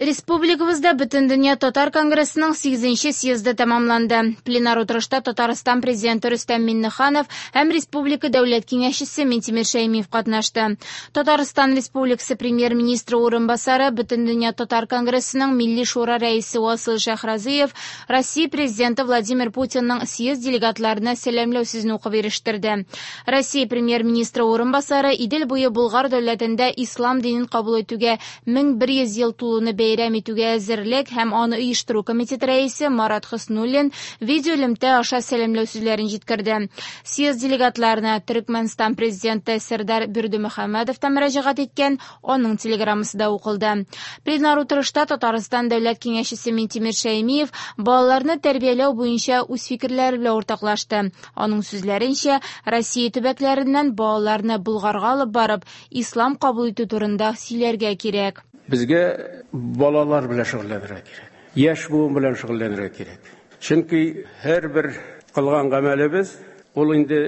Республикабызда Бөтендөнья татар конгрессының 8 съезды тәмамланды. Пленар утырышта Татарстан президенты Рөстәм Миңнеханов һәм республика дәүләт киңәшчесе Минтимер Шәймиев катнашты. Татарстан Республикасы премьер-министры урынбасары, Бөтендөнья татар конгрессының Милли шура рәисе Васил Шәйхразиев Россия президенты Владимир Путинның съезд делегатларына сәламләү сүзен укып ирештерде. Россия премьер-министры урынбасары Идел буе Болгар дәүләтендә ислам динен кабул итүгә 1100 ел тулуны бәйрәм итүгә әзерлек һәм аны оештыру комитеты рәисе Марат Хөснуллин видеоэлемтә аша сәламләү сүзләрен җиткерде. Съезд делегатларына Төркмәнстан президенты Сердар Бердымөхәммәдов та мөрәҗәгать иткән, аның телеграммасы да укылды. Пленар утырышта Татарстан дәүләт киңәшчесе Минтимер Шәймиев балаларны тәрбияләү буенча үз фикерләре белән уртаклашты. Аның сүзләренчә, Россия төбәкләреннән балаларны Болгарга алып барып, ислам кабул итү турында сөйләргә кирәк. Безгә балалар белән шөгыльләнергә кирәк. Яшь буын белән шөгыльләнергә кирәк. Чөнки һәрбер кылган гамәлебез ул инде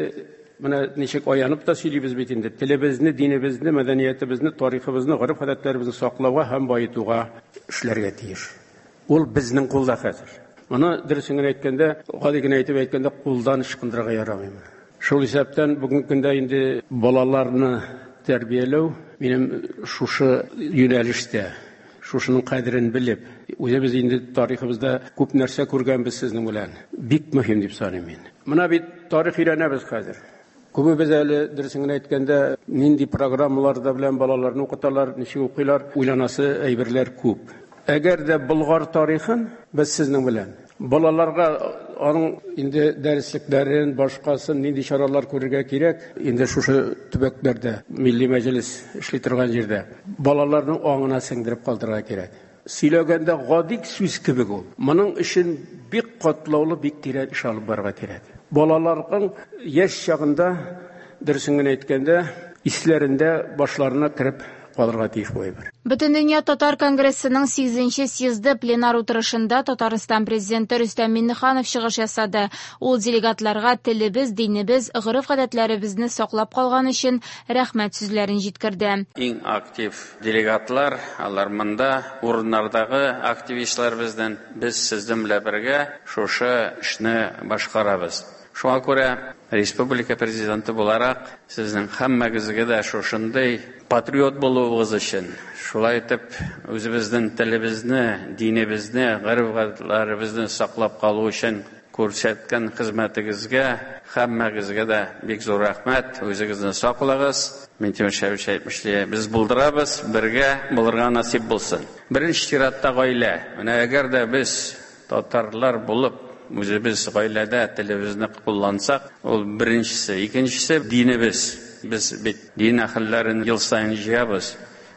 менә ничек аянып та сөйлибез бит инде, телебезне, динебезне, мәдәниятебезне, тарихыбызны, гореф-гадәтләребезне саклауга һәм баетуга эшләргә тиеш. Ул безнең кулда хәзер. Моны дөресен генә әйткәндә, гади генә итеп әйткәндә, кулдан ычкындырырга ярамый. Шул исәптән бүгенге көндә инде балаларны тәрбияләү минем шушы юнәлештә, шушының кадерен белеп, үзебез инде тарихыбызда күп нәрсә күргәнбез сезнең белән. Бик мөһим дип саныйм мин. Менә бит тарих өйрәнәбез хәзер. Күбебез әле, дөресен генә әйткәндә, нинди программаларда белән балаларны укыталар, ничек укыйлар, уйланасы әйберләр күп. Әгәр дә Болгар тарихын без сезнең белән балаларга аның инде дәреслекләрен, башкасын, нинди чаралар күрергә кирәк, инде шушы төбәкләрдә, Милли мәҗлес эшли торган җирдә, балаларның аңына сеңдереп калдырырга кирәк. Сөйләгәндә гади сүз кебек ул. Моның өчен бик катлаулы, бик тирән эш алып барырга кирәк. Балаларның яшь чагында, дөресен генә әйткәндә, исләрендә, башларына кереп калырга тиеш бу әйбер. Бөтендөнья татар конгрессының 8 съезды пленар утырышында Татарстан президенты Рөстәм Миңнеханов чыгыш ясады. Ул делегатларга телебез, динебез, гореф-гадәтләребезне саклап калган өчен рәхмәт сүзләрен җиткерде. Иң актив делегатлар, алар монда, урыннардагы активистлар бездән, без сезнең белән бергә шушы эшне башкарабыз. Шуңа күрә республика президенты буларак сезнең һәммәгезгә дә шушындый патриот булуыгыз өчен, шулай итеп үзебезнең телебезне, динебезне, гореф-гадәтләребезне саклап калу өчен күрсәткән хезмәтегезгә һәммәгезгә дә бик зур рәхмәт. Үзегезне саклагыз. Минтимер Шәймиевич әйтмешли, без булдырабыз, бергә булырга насыйп булсын. Беренче чиратта гаилә. Менә әгәр дә без татарлар булып үзебез гаиләдә телебезне куллансак, ул беренчесе. Икенчесе динебез. Без бит дин әһелләрен ел саен җыябыз.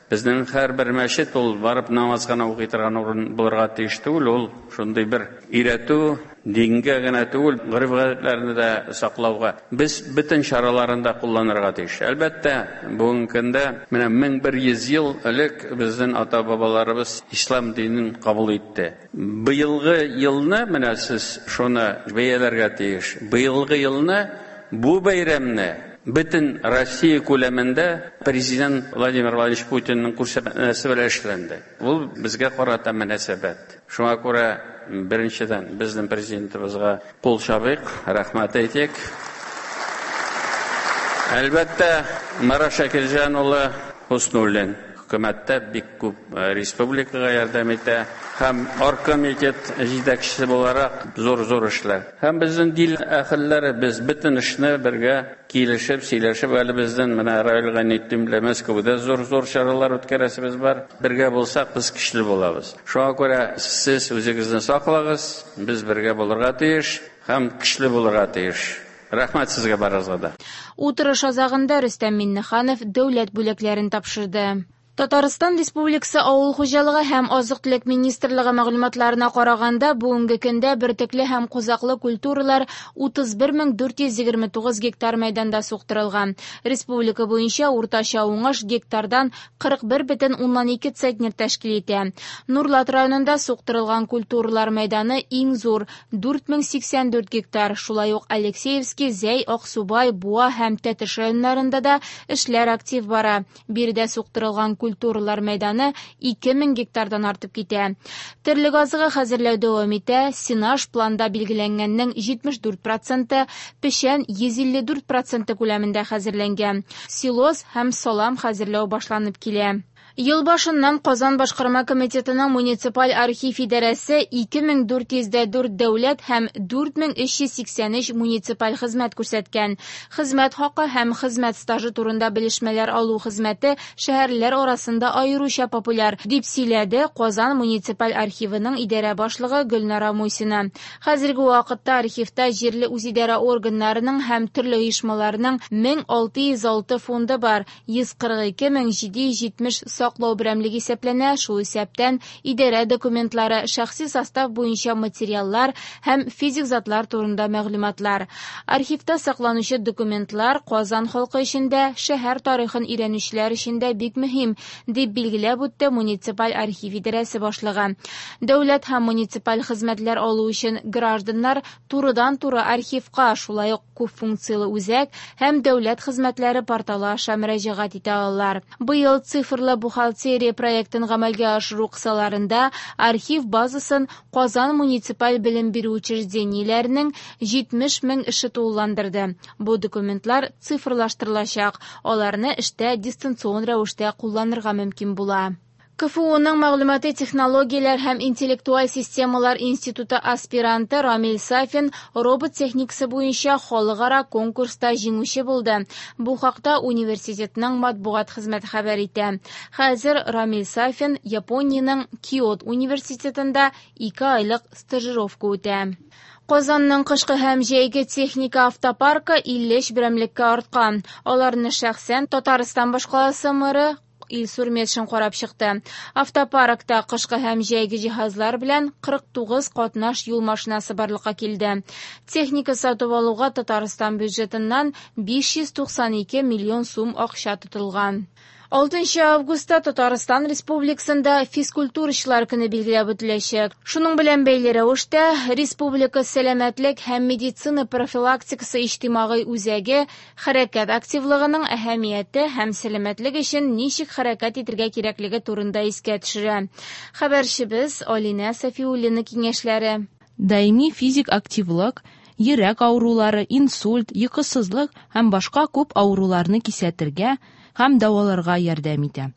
Безнең һәрбер мәчет ул барып намаз гына укый торган урын булырга тиеш түгел, ул шундый бер өйрәтү, дингә генә түгел, гореф-гадәтләрне дә саклауга. Без бөтен чараларын да кулланырга тиеш. Әлбәттә, бүгенге көндә менә 1100 ел элек безнең ата-бабаларыбыз ислам динен кабул итте. Быелгы елны менә сез шуны бәяләргә тиеш. Быелгы елны бу бәйрәмне бөтен Россия күләмендә президент Владимир Владимирович Путинның күрсәтмәсе белән эшләнде. Ул безгә карата мөнәсәбәт. Шуңа күрә беренчедән безнең президентыбызга кул чабыйк, рәхмәт әйтик. Әлбәттә, Марат Шакирҗан улы Хөснуллин хөкүмәттә бик күп республикага ярдәм итә һәм оргкомитет җитәкчесе буларак зур-зур эшләр. Һәм безнең дин әһелләре без бөтен эшне бергә килешеп, сөйләшеп, әле безнең менә Равил Гайнетдин белән Мәскәүдә зур-зур чаралар үткәрәсебез бар. Бергә булсак, без көчле булабыз. Шуңа күрә сез үзегезне саклагыз, без бергә булырга тиеш һәм көчле булырга тиеш. Рәхмәт сезгә барыгызга да. Утырыш азагында Рөстәм Миңнеханов дәүләт бүләкләрен тапшырды. Татарстан Республикасы Авыл хуҗалыгы һәм азык-төлек министрлыгы мәгълүматларына караганда, бүгенге көндә бөртекле һәм кузаклы культуралар 31429 гектар мәйданда суктырылган. Республика буенча уртача уңыш гектардан 41,2 центнер тәшкил итә. Нурлат районында суктырылган культуралар мәйданы иң зур 4084 гектар. Шулай ук Алексеевский, Зәй, Аксубай, Буа һәм Тәтеш районнарында да эшләр актив бара. Биредә суктырылган культуралар мәйданы 2000 гектардан артып китә. Терлек азыгы хәзерләү дәвам итә, сенаж планда билгеләнгәннең 74 проценты, печән 154 проценты күләмендә хәзерләнгән. Силос һәм салам хәзерләү башланып килә. Ел башыннан Казан башкарма комитетының муниципаль архив идарәсе 2404 дәүләт һәм 4383 муниципаль хезмәт күрсәткән. Хезмәт хакы һәм хезмәт стажы турында белешмәләр алу хезмәте шәһәрләр арасында аеруча популяр, дип сөйләде Казан муниципаль архивының идарә башлыгы Гөлнара Мусина. Хәзерге вакытта архивта җирле үзидарә органнарының һәм төрле оешмаларның 1606 фонды бар, 142770 саклау берәмлеге исәпләнә, шул исәптән идарә документлары, шәхси состав буенча материаллар һәм физик затлар турында мәгълүматлар. Архивта сакланучы документлар Казан халкы өчен дә, шәһәр тарихын өйрәнүчеләр өчен дә бик мөһим, дип билгеләп үтте муниципаль архив идарәсе башлыгы. Дәүләт һәм муниципаль хезмәтләр алу өчен гражданнар турыдан-туры архивка, шулай ук күп функцияле үзәк һәм дәүләт хезмәтләре порталы аша мөрәҗәгать итә алалар. Быел цифрлы бухгалтерия проектын гамәлгә ашыру кысаларында архив базасын Казан муниципаль белем бирү учреждениеләренең 70 мең эше тулыландырды. Бу документлар цифрлаштырылачак, аларны эштә дистанцион рәвештә кулланырга мөмкин була. КФУның мәгълүмати технологияләр һәм интеллектуаль системалар институты аспиранты Рамил Сафин робот техникасы буенча халыкара конкурста җиңүче булды. Бу хакта университетның матбугат хезмәте хәбәр итә. Хәзер Рамил Сафин Япониянең Киот университетында 2 айлык стажировка үтә. Казанның кышкы һәм җәйге техника автопаркы 53 берәмлеккә арткан. Аларны шәхсән Татарстан башкаласы мэры Илсур Метшин карап чыкты. Автопаркта кышкы һәм җәйге җиһазлар белән 49 катнаш юл машинасы барлыкка килде. Техника сатып алуга Татарстан бюджетыннан 592 миллион сум акча тотылган. 6 августта Татарстан Республикасында физкультурачылар көне билгеләп үтеләчәк. Шуның белән бәйле рәвештә Республика сәламәтлек һәм медицина профилактикасы иҗтимагый үзәге хәрәкәт активлыгының әһәмияте һәм сәламәтлек өчен ничек хәрәкәт итәргә кирәклеге турында искә төшерә. Хәбәрчебез Алинә Сафиуллина киңәшләре. Даими физик активлык йөрәк авырулары, инсульт, йокысызлык һәм башка күп авыруларны кисәтергә һәм дәваларга ярдәм итә.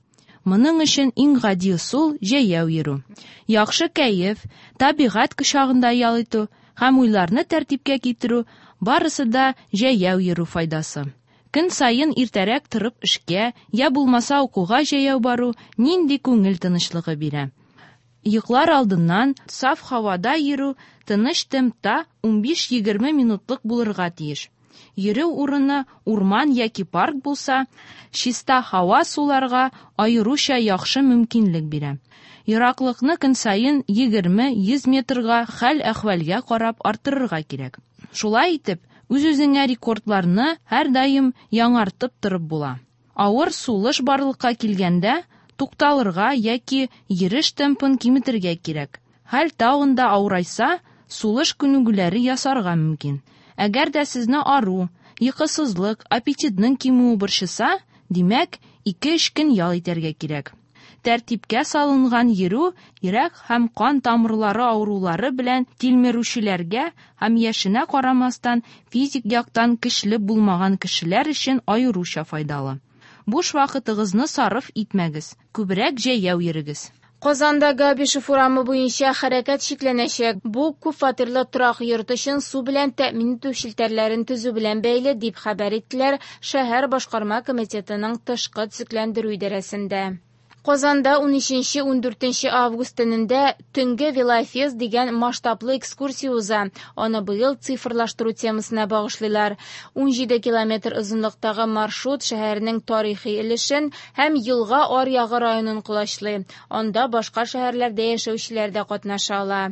Моның өчен иң гади ысул җәяү йөрү. Яхшы кәеф, табигать кочагында ял итү һәм уйларны тәртипкә китерү барысы да җәяү йөрү файдасы. Көн саен иртәрәк торып эшкә, я булмаса укуга җәяү бару нинди күңел тынычлыгы бирә. Йоклар алдыннан саф һавада йөрү тыныч темпта 15-20 минутлык булырга тиеш. Йөрү урыны урман яки парк булса, чиста һава суларга аеруча яхшы мөмкинлек бирә. Ераклыкны көн саен 20-100 метрга хәл-әхвәлгә карап арттырырга кирәк. Шулай итеп, үз-үзеңә рекордларны һәрдаим яңартып торып була. Авыр сулыш барлыкка килгәндә, тукталырга яки йөреш темпын киметергә кирәк. Хәл тагын да авырайса, сулыш күнегүләре ясарга мөмкин. Әгәр дә сезне ару, йокысызлык, аппетитның кимүе борчыса, димәк, 2-3 көн ял итәргә кирәк. Тәртипкә салынган йөрү йөрәк һәм кан тамырлары авырулары белән тилмерүчеләргә һәм яшенә карамастан физик яктан көчле булмаган кешеләр өчен аеруча файдалы. Буш вакытыгызны сарыф итмәгез, күбрәк җәяү йөрегез. Казанда Габишев урамы буенча хәрәкәт чикләнәчәк. Бу күпфатирлы торак йорт өчен су белән тәэмин итү челтәрләрен төзү белән бәйле, дип хәбәр иттеләр шәһәр башкарма комитетының тышкы төзекләндерү идарәсендә. Казанда 13-14 август төнендә Төнге велофест дигән масштаблы экскурсия уза. Аны быел цифрлаштыру темасына багышлыйлар. 17 километр озынлыктагы маршрут шәһәрнең тарихи өлешен һәм Елга аръягы районын колачлый. Анда башка шәһәрләрдә яшәүчеләр дә катнаша ала.